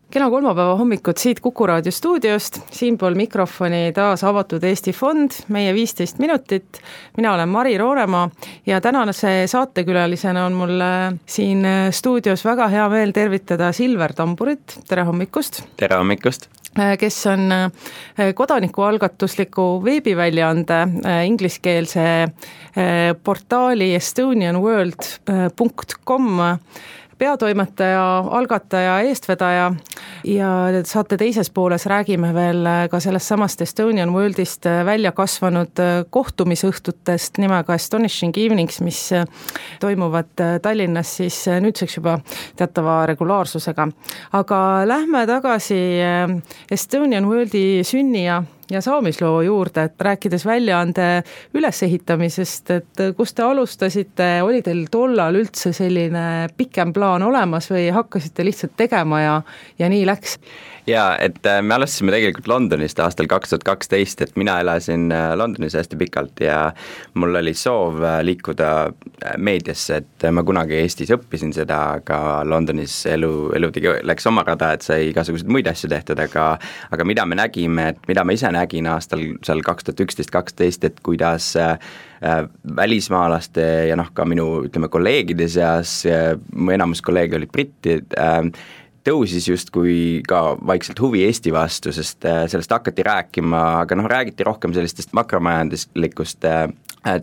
Kena kolmapäeva hommikud siit Kuku Raadio stuudiost, siinpool mikrofoni taas avatud Eesti Fond, meie 15 minutit. Mina olen Mari Roonemaa ja tänase saatekülalisena on mul siin stuudios väga hea meel tervitada Silver Tamburit. Tere hommikust! Tere hommikust! Kes on kodanikualgatusliku veebiväljaande ingliskeelse portaali estonianworld.com peatoimetaja, algataja, eestvedaja ja saate teises pooles räägime veel ka sellest samast Estonian Worldist välja kasvanud kohtumisõhtutest nimega Astonishing Evenings, mis toimuvad Tallinnas siis nüüdseks juba teatava regulaarsusega. Aga lähme tagasi Estonian Worldi sünni ja saamisloo juurde, et rääkides väljaande ülesehitamisest, et kus te alustasite, oli teil tollal üldse selline pikem plaan olemas või hakkasite lihtsalt tegema ja nii läks? Jaa, et me alustasime tegelikult Londonist aastal 2012, et mina elasin Londonis hästi pikalt ja mul oli soov liikuda meediasse, et ma kunagi Eestis õppisin seda, aga Londonis elu läks oma rada, et sai igasuguseid muid asju tehtud, aga mida me nägime, et mida ma ise nägin aastal seal 2011-2012, et kuidas välismaalaste ja ka minu kolleegide seas, mu enamus kolleege olid brittid, tõusis justkui ka vaikselt huvi Eesti vastu, sest sellest hakati rääkima, aga räägiti rohkem sellistest makromajanduslikust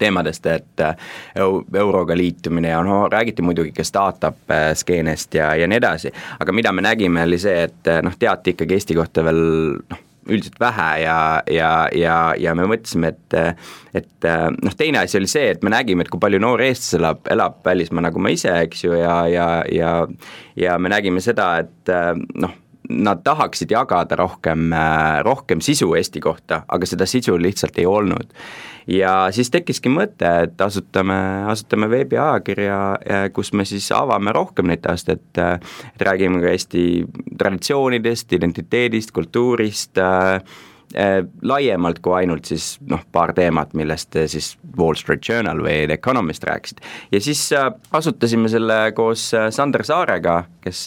teemadest, et euroga liitumine ja räägiti muidugi ka startup skeenest ja nii edasi, aga mida me nägime oli see, et teati ikkagi Eesti kohta veel üldiselt vähe ja me mõtlesime, et teine asi oli see, et me nägime, et kui palju noori eestlasi elab välismaa nagu ma ise, eks ju, ja me nägime seda, et nad tahaksid jagada rohkem sisu Eesti kohta, aga seda sisu lihtsalt ei olnud. Ja siis tekkiski mõte, et asutame veebiajakirja, kus me siis avame rohkem neid taast, et räägime ka Eesti traditsioonidest, identiteedist, kultuurist, laiemalt kui ainult siis paar teemat, millest siis Wall Street Journal või The Economist rääkisid. Ja siis asutasime selle koos Sander Saarega, kes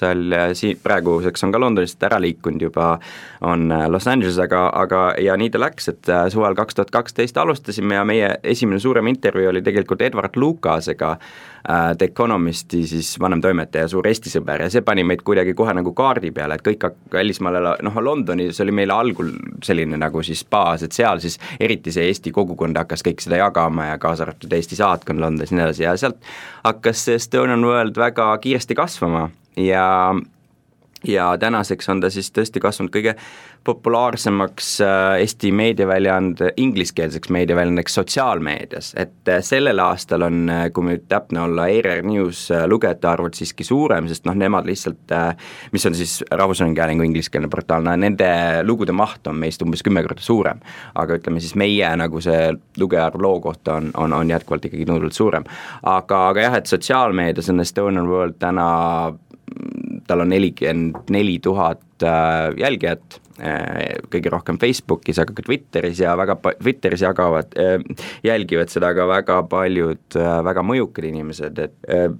praeguseks on ka Londonist ära liikunud juba, on Los Angeles, aga ja nii ta läks, et suvel 2012 alustasime ja meie esimene suurem intervjuu oli tegelikult Edward Lucasega, The Economisti siis vanemtoimetaja, suur Eesti sõber ja see pani meid kuidagi kohe nagu kaardi peale, et kõik välismaal Londonis oli meile algul selline nagu siis baas, et seal siis eriti see Eesti kogukond hakkas kõik seda jagama ja kaasa arvatud Eesti saatkond Londonis nii edasi ja sealt hakkas Estonian World väga kiiresti kasvama ja tänaseks on ta siis tõesti kasvanud kõige populaarsemaks Eesti meediaväljaande, ingliskeelseks meediaväljaandeks sotsiaalmeedias, et sellel aastal on, kui me täpne olla, ERR News lugejate arvud siiski suurem, sest nemad lihtsalt, mis on siis Rahvusringhäälingu ingliskeelne portaal, nende lugude maht on meist umbes 10 korda suurem, aga ütleme siis meie nagu see lugejarv loo kohta on jätkuvalt ikkagi tunduvalt suurem, aga jah, et sotsiaalmeedias on Estonian World täna tal on 44 000 jälgijat, kõige rohkem Facebookis, aga ka Twitteris ja Twitteris jälgivad seda ka väga paljud väga mõjukad inimesed, et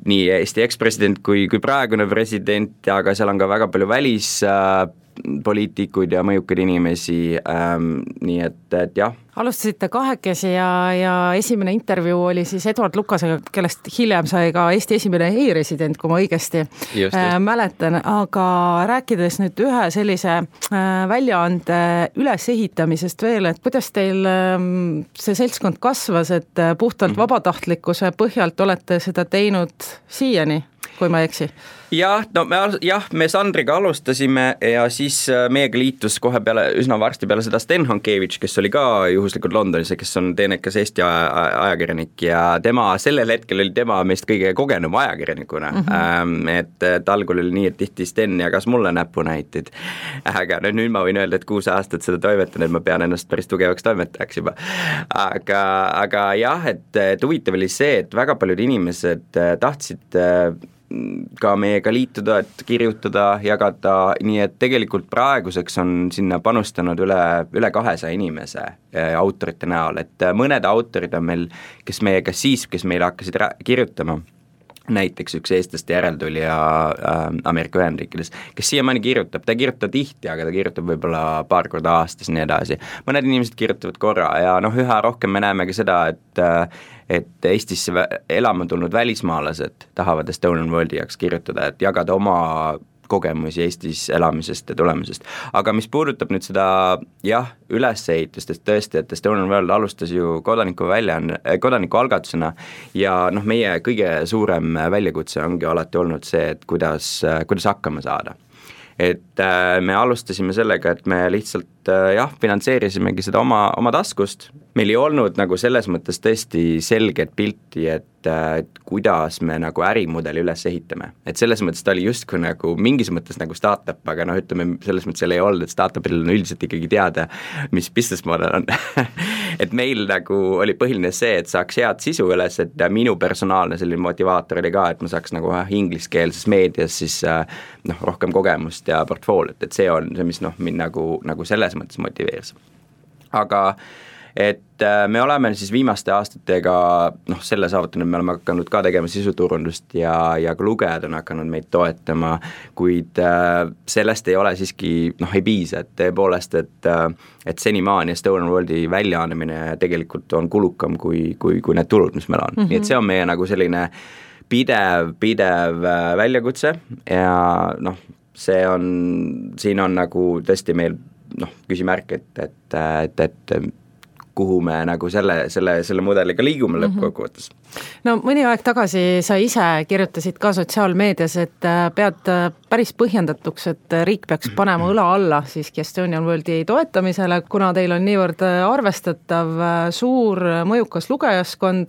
nii Eesti ekspresident kui praegune president, aga seal on ka väga palju välispoliitikuid ja mõjukaid inimesi, nii et jah. Alustasite kahekesi ja esimene intervjuu oli siis Edward Lucasega, kellest hiljem sai ka Eesti esimene e-resident, kui ma õigesti mäletan, aga rääkides nüüd ühe sellise väljaande ülesehitamisest veel, et kuidas teil see seltskond kasvas, et puhtalt vabatahtlikkuse põhjalt olete seda teinud siiani, kui ma ei eksi? Me Sandriga alustasime ja siis meiega liitus kohe üsna varsti peale seda Sten Hankevitš, kes oli ka juhuslikult Londonis ja kes on teenekas Eesti ajakirjanik ja sellel hetkel oli tema meist kõige kogenum ajakirjanikuna, et algul oli nii, et tihti Sten jagas mulle näpunäiteid, aga nüüd ma võin öelda, et 6 aastat seda toimetan, et ma pean ennast päris tugevaks toimetajaks juba, aga jah, et huvitav oli see, et väga paljud inimesed tahtsid ka meiega liituda, et kirjutada, jagada, nii et tegelikult praeguseks on sinna panustanud üle 200 inimese autorite näol, et mõned autorid on meil, kes meile hakkasid kirjutama, näiteks üks eestlaste järeltulija Ameerika Ühendriikides, kes siiamaani kirjutab, ta ei kirjuta tihti, aga ta kirjutab võib-olla paar korda aastas, nii edasi. Mõned inimesed kirjutavad korra ja üha rohkem me näeme ka seda, et Eestisse elama tulnud välismaalased tahavad Estonian Worldi jaoks kirjutada, et jagada oma kogemusi Eestis elamisest ja tulemisest. Aga mis puudutab nüüd seda ülesehitust, et tõesti, et Estonian World alustas ju kodanikualgatusena ja meie kõige suurem väljakutse ongi alati olnud see, et kuidas hakkama saada. Et me alustasime sellega, et me lihtsalt finantseerisimegi seda oma taskust. Meil ei olnud nagu selles mõttes tõesti selget pilti, et kuidas me nagu ärimudeli üles ehitame. Et selles mõttes ta oli justkui nagu mingis mõttes nagu startup, aga ütleme, selles mõttes seal ei olnud, et startupil on üldiselt ikkagi teada, mis business model on. Et meil nagu oli põhiline see, et saaks head sisu üles, et minu personaalne selline motivaator oli ka, et ma saaks nagu ingliskeelses meedias siis rohkem kogemust ja portfooliot, et see on see, mis mind nagu selles mõttes motiveeris. Aga et me oleme siis viimaste aastatega selle saavutanud, me oleme hakanud ka tegema sisuturundust ja ka lugejad on hakanud meid toetama, kuid sellest ei ole siiski, ei piisa, et tõepoolest, et senimaani Estonian Worldi väljaandmine tegelikult on kulukam kui need tulud, mis meil on. Nii et see on meie nagu selline pidev väljakutse ja siin on nagu tõesti meil küsimärk, et kuhu me nagu selle mudeliga liigume lõppkokkuvõttes. No mõni aeg tagasi sa ise kirjutasid ka sotsiaalmeedias, et pead päris põhjendatuks, et riik peaks panema õla alla siiski Estonian Worldi toetamisele, kuna teil on niivõrd arvestatav suur mõjukas lugejaskond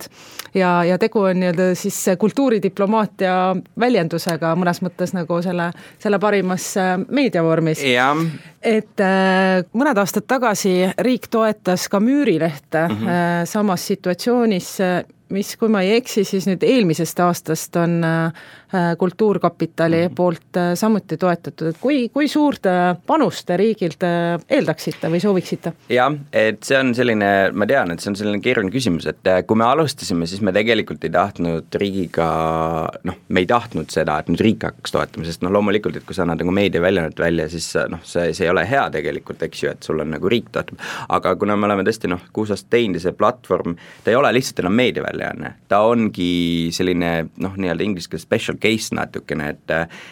ja tegu on siis kultuuridiplomaatia väljendusega mõnes mõttes nagu selle parimas meediavormis. Et mõned aastad tagasi riik toetas ka Müürilehte samas situatsioonis, mis, kui ma ei eksi, siis nüüd eelmisest aastast on Kultuurkapitali poolt samuti toetatud, et kui suurt panust riigilt eeldaksite või sooviksite? Jah, et see on selline, ma tean, et see on selline keeruline küsimus, et kui me alustasime, siis me tegelikult ei tahtnud riigiga, me ei tahtnud seda, et nüüd riik hakkaks toetama, sest loomulikult, et kui sa annad nagu meediaväljaannet välja, siis see ei ole hea tegelikult, eks ju, et sul on nagu riik toetab, aga kuna me oleme tõesti 6 aastat teinud ja see platvorm, ta ei ole lihtsalt enam meediaväljaanne, ta ongi selline nii-öelda ingliskeelse special case natukene,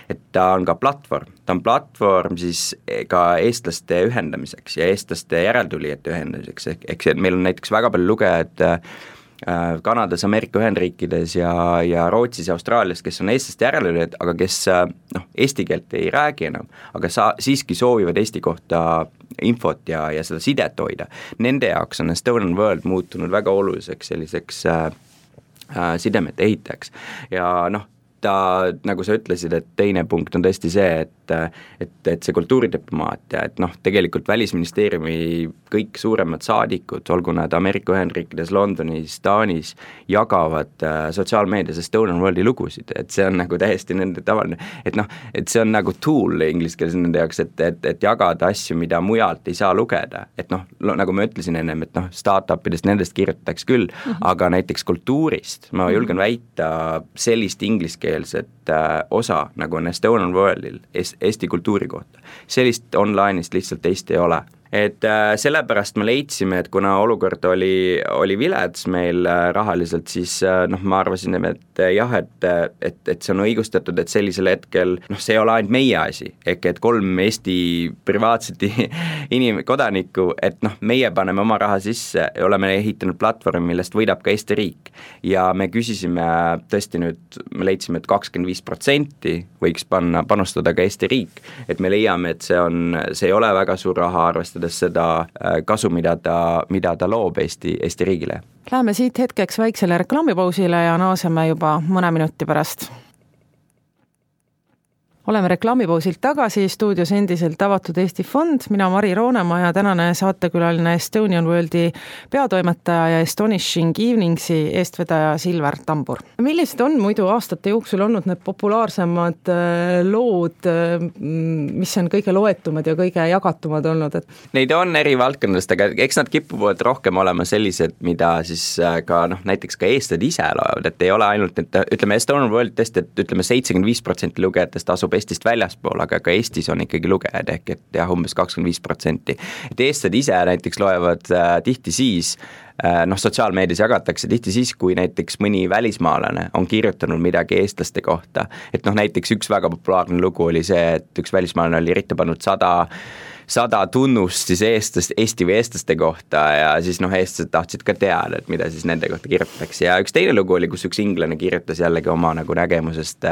et ta on ka platvorm. Ta on platvorm siis ka eestlaste ühendamiseks ja eestlaste järeltulijate ühendamiseks, ehk see, et meil on näiteks väga palju lugejad Kanadas, Ameerika Ühendriikides ja Rootsis ja Austraalias, kes on eestlaste järeltulijad, aga kes eesti keelt ei räägi enam, aga siiski soovivad Eesti kohta infot ja seda sidet hoida. Nende jaoks on Estonian World muutunud väga oluliseks selliseks sidemete ehitajaks ja ta, nagu sa ütlesid, et teine punkt on tõesti see, et see kultuuridiplomaatia, et tegelikult Välisministeeriumi kõik suuremad saadikud, olgu nad Ameerika Ühendriikides, Londonis, Taanis, jagavad sotsiaalmeedias Estonian Worldi lugusid, et see on nagu täiesti nende tavaline, et see on nagu tool inglise keeles nende jaoks, et jagada asju, mida mujalt ei saa lugeda, et nagu ma ütlesin ennem, et startupidest nendest kirjutatakse küll, aga näiteks kultuurist, ma julgen väita sellist ingliskeelset osa, nagu on Estonian Worldil, Eesti kultuuri kohta. Sellist online'ist lihtsalt Eesti ei ole. Et sellepärast me leidsime, et kuna olukord oli vilets meil rahaliselt, siis ma arvasin, et jah, et see on õigustatud, et sellisel hetkel, see ei ole ainult meie asi, ehk et 3 Eesti privaatset kodanikku, et meie paneme oma raha sisse ja oleme ehitanud platvormi, millest võidab ka Eesti riik. Ja me küsisime tõesti nüüd, me leidsime, et 25% võiks panustada ka Eesti riik, et me leiame, et see ei ole väga suur raha arvestades seda kasu, mida ta loob Eesti riigile. Läheme siit hetkeks väiksele reklaamipausile ja naaseme juba mõne minuti pärast. oleme reklaamipausilt tagasi, stuudios endiselt Avatud Eesti Fond, mina Mari Roonemaa ja tänane saatekülaline Estonian Worldi peatoimetaja ja Astonishing Eveningsi eestvedaja Silver Tambur. Millised on muidu aastate jooksul olnud need populaarsemad lood, mis on kõige loetumad ja kõige jagatumad olnud? Neid on eri valdkondadest, aga eks nad kipuvad rohkem olema sellised, mida siis ka näiteks ka eestlased ise loevad, et ei ole ainult, et ütleme Estonian World tõesti, et ütleme 75% lugejatest asub Eestist väljaspool, aga ka Eestis on ikkagi lugejad ehk et jah, umbes 25%. Et eestlased ise näiteks loevad tihti siis, sotsiaalmeedias jagatakse tihti siis, kui näiteks mõni välismaalane on kirjutanud midagi eestlaste kohta. Et näiteks üks väga populaarne lugu oli see, et üks välismaalane oli ette pannud 100 tunnust siis Eesti või eestlaste kohta ja siis eestlased tahtsid ka teada, et mida siis nende kohta kirjutatakse. Ja üks teine lugu oli, kus üks inglane kirjutas jällegi oma nägemusest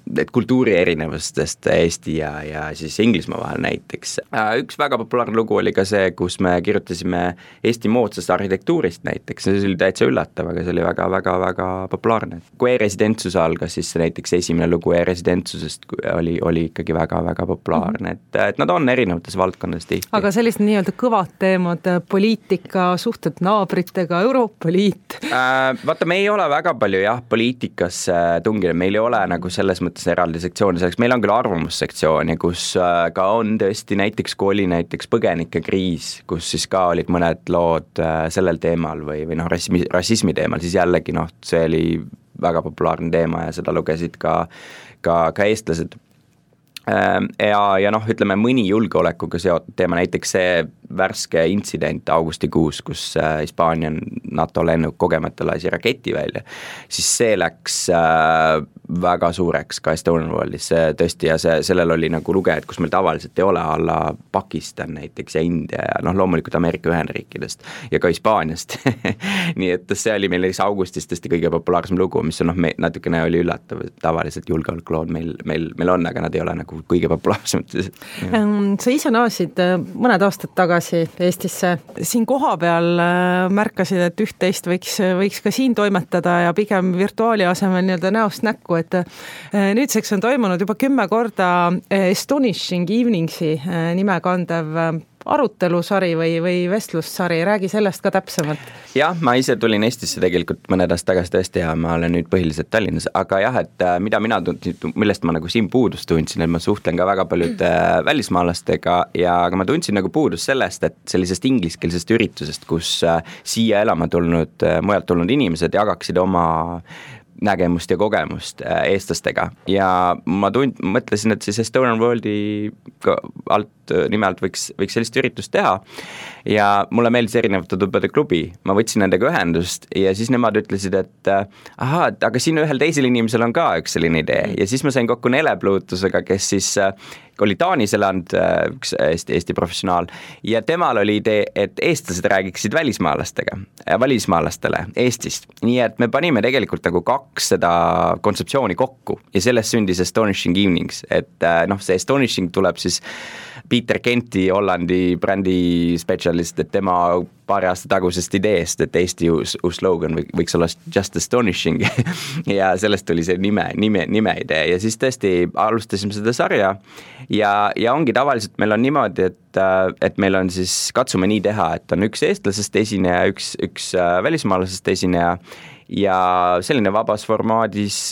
et kultuuri erinevustest Eesti ja siis Inglismaa vahel näiteks. Üks väga populaarne lugu oli ka see, kus me kirjutasime Eesti moodsast arhitektuurist näiteks, see oli täitsa üllatav, aga see oli väga populaarne. Kui e-residentsus algas, siis näiteks esimene lugu e-residentsusest oli ikkagi väga populaarne, et nad on erinevates valdkondades tihti. Aga sellised nii-öelda kõvad teemad, poliitika, suhted naabritega, Euroopa Liit? Vaata, me ei ole väga palju poliitikasse tunginud, meil ei ole nagu selles mõttes eraldi sektsiooni selleks, meil on küll arvamussektsiooni, kus ka on tõesti näiteks, kui oli näiteks põgenikekriis, kus siis ka olid mõned lood sellel teemal või rassismi teemal, siis jällegi see oli väga populaarne teema ja seda lugesid ka eestlased. Ja ütleme mõni julgeolekuga seotud teema, näiteks see värske intsident augustikuus, kus Hispaania NATO lennuk kogemata lasi raketi välja, siis see läks väga suureks ka Estonian Worldis tõesti ja sellel oli nagu lugejad, kus meil tavaliselt ei ole, alla Pakistan näiteks ja India ja loomulikult Ameerika Ühendriikidest ja ka Hispaaniast nii et see oli meil augustis tõesti kõige populaarsem lugu, mis on natukene oli üllatav, tavaliselt julgeolekulood meil on, aga nad ei ole nagu kõige populaarsemad. Sa ise naasid mõned aastad tagasi Eestisse. Siin koha peal märkasid, et üht-teist võiks ka siin toimetada ja pigem virtuaali asemel nii-öelda näost näkku, et nüüdseks on toimunud juba 10 korda Astonishing Eveningsi nime kandev arutelusari või vestlussari, räägi sellest ka täpsemalt. Jah, ma ise tulin Eestisse tegelikult mõned aastad tagasi tõesti ja ma olen nüüd põhiliselt Tallinnas, aga jah, et millest ma nagu siin puudust tundsin, et ma suhtlen ka väga paljude välismaalastega ja aga ma tundsin nagu puudust sellest, et sellisest ingliskeelsest üritusest, kus siia elama mujalt tulnud inimesed jagaksid oma nägemust ja kogemust eestlastega ja ma mõtlesin, et siis Estonian Worldi nimelt võiks sellist üritust teha ja mulle meeldis erinevate tubade klubi, ma võtsin nendega ühendust ja siis nemad ütlesid, et aga siin ühel teisel inimesel on ka üks selline idee ja siis ma sain kokku Nele Pluutusega, kes siis oli Taanis elanud, üks Eesti professionaal ja temal oli idee, et eestlased räägiksid välismaalastele Eestist, nii et me panime tegelikult nagu 2 seda kontseptsiooni kokku ja sellest sündis Astonishing Evenings, et see Astonishing tuleb siis Peter Kenti, Hollandi brändi spetsialist, et tema paari aasta tagusest ideest, et Eesti uus slogan võiks olla Just Astonishing ja sellest tuli see nime idee ja siis tõesti alustasime seda sarja ja ongi tavaliselt meil on niimoodi, et meil on siis, katsume nii teha, et on üks eestlasest esineja, üks välismaalasest esineja ja selline vabas formaadis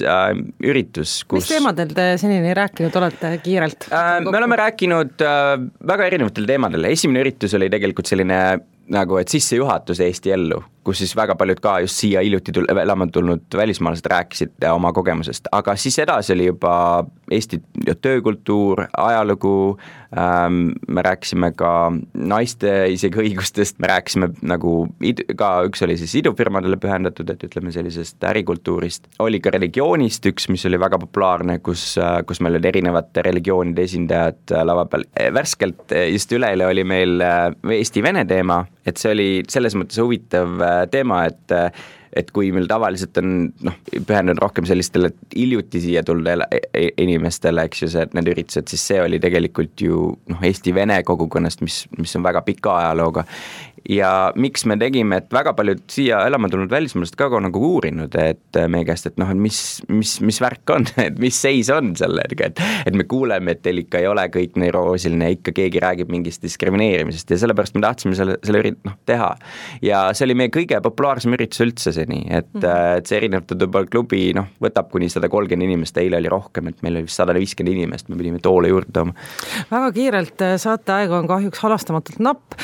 üritus, kus... Mis teemadel te senini rääkinud olete kiirelt? Me oleme rääkinud väga erinevatel teemadel. Esimene üritus oli tegelikult selline nagu, et sissejuhatus Eesti ellu, kus siis väga paljud ka just siia hiljuti elama tulnud välismaalased rääkisid oma kogemusest, aga siis edasi oli juba Eesti töökultuur, ajalugu, me rääkisime ka naiste isegi õigustest, me rääkisime nagu ka üks oli siis idufirmadele pühendatud, et ütleme sellisest ärikultuurist, oli ka religioonist üks, mis oli väga populaarne, kus meil olid erinevate religioonide esindajad lava peal. Värskelt just üleeile oli meil Eesti-Vene teema, et see oli selles mõttes huvitav teema, et et kui meil tavaliselt on pühendunud rohkem sellistele hiljuti siia tulnud inimestele, eks ju, need üritused, siis see oli tegelikult ju Eesti-Vene kogukonnast, mis on väga pika ajalooga. Ja miks me tegime, et väga paljud siia elama tulnud välismaalast ka nagu uurinud, et meie käest, et mis värk on, et mis seis on sellega, et me kuuleme, et teil ikka ei ole kõik nii roosiline, ikka keegi räägib mingist diskrimineerimisest ja sellepärast me tahtsime selle teha. Ja see oli meie kõige populaarsem üritus üldse seni, et see Erinevate Tubal klubi võtab kuni 130 inimest, eile oli rohkem, et meil oli 150 inimest, me pidime toole juurde tooma. Väga kiirelt, saateaeg on kahjuks halastamatult napp.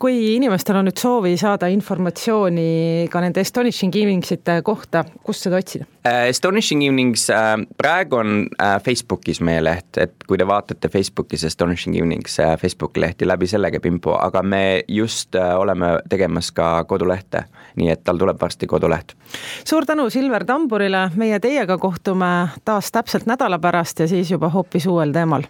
Kui inimestel on nüüd soovi saada informatsiooni ka nende Astonishing Eveningsite kohta, kust seda otsida? Astonishing Evenings praegu on Facebookis meie leht, et kui te vaatate Facebookis Astonishing Evenings Facebooki lehti, läbi selle käib info, aga me just oleme tegemas ka kodulehte, nii et tal tuleb varsti koduleht. Suur tänu Silver Tamburile, meie teiega kohtume taas täpselt nädala pärast ja siis juba hoopis uuel teemal.